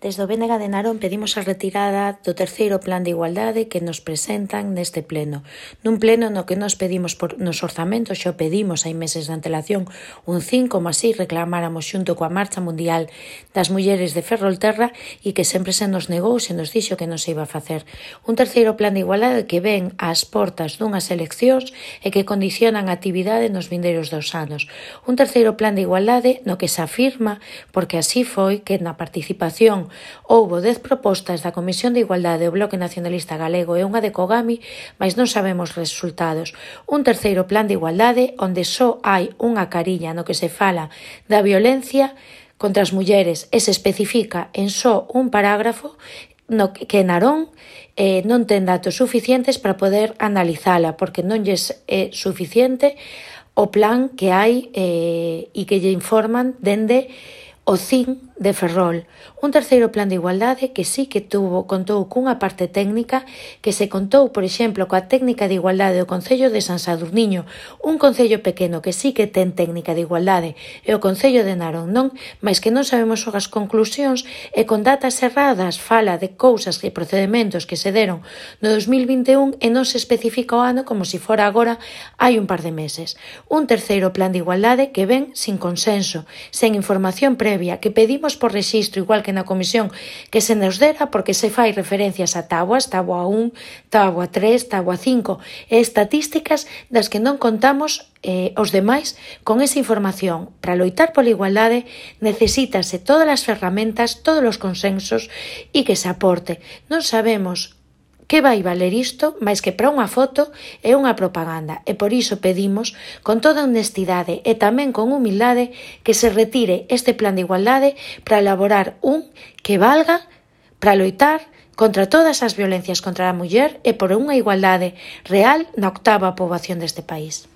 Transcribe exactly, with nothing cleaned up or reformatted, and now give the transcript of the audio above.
Desde o B N G de Narón pedimos a retirada do terceiro plan de igualdade que nos presentan neste pleno. Nun pleno no que nos pedimos por, nos orzamentos, xo pedimos hai meses de antelación un cinco, como así reclamáramos xunto coa Marcha Mundial das Mulleres de Ferrolterra e que sempre se nos negou, se nos dixo que non se iba a facer. Un terceiro plan de igualdade que ven ás portas dunhas eleccións e que condicionan a actividade nos vindeiros dos anos. Un terceiro plan de igualdade no que se afirma, porque así foi, que na participación houbo dez propostas da Comisión de Igualdade do Bloque Nacionalista Galego e unha de Cogami, mas non sabemos resultados. Un terceiro plan de igualdade onde só hai unha cariña no que se fala da violencia contra as mulleres e se especifica en só un parágrafo no que Narón eh, non ten datos suficientes para poder analizala, porque non lles é suficiente o plan que hai eh, e que lle informan dende o C I N de Ferrol. Un terceiro plan de igualdade que sí que tuvo, contou cunha parte técnica, que se contou, por exemplo, coa técnica de igualdade do Concello de San Sadurniño, un concello pequeno que sí que ten técnica de igualdade, e o Concello de Narón non, mas que non sabemos as conclusións, e con datas erradas fala de cousas e procedementos que se deron no dos mil vinte e un e non se especifica o ano como se fora agora hai un par de meses. Un terceiro plan de igualdade que ven sin consenso, sen información previa, que pedimos por rexistro, igual que na comisión, que se nos dera porque se fai referencias a tabuas, tabua un, tabua tres, tabua cinco, e estatísticas das que non contamos eh, os demais con esa información. Para loitar pola igualdade necesítase todas as ferramentas, todos os consensos e que se aporte. Non sabemos que vai valer isto, máis que para unha foto é unha propaganda, e por iso pedimos, con toda honestidade e tamén con humildade, que se retire este plan de igualdade para elaborar un que valga para loitar contra todas as violencias contra a muller e por unha igualdade real na octava poboación deste país.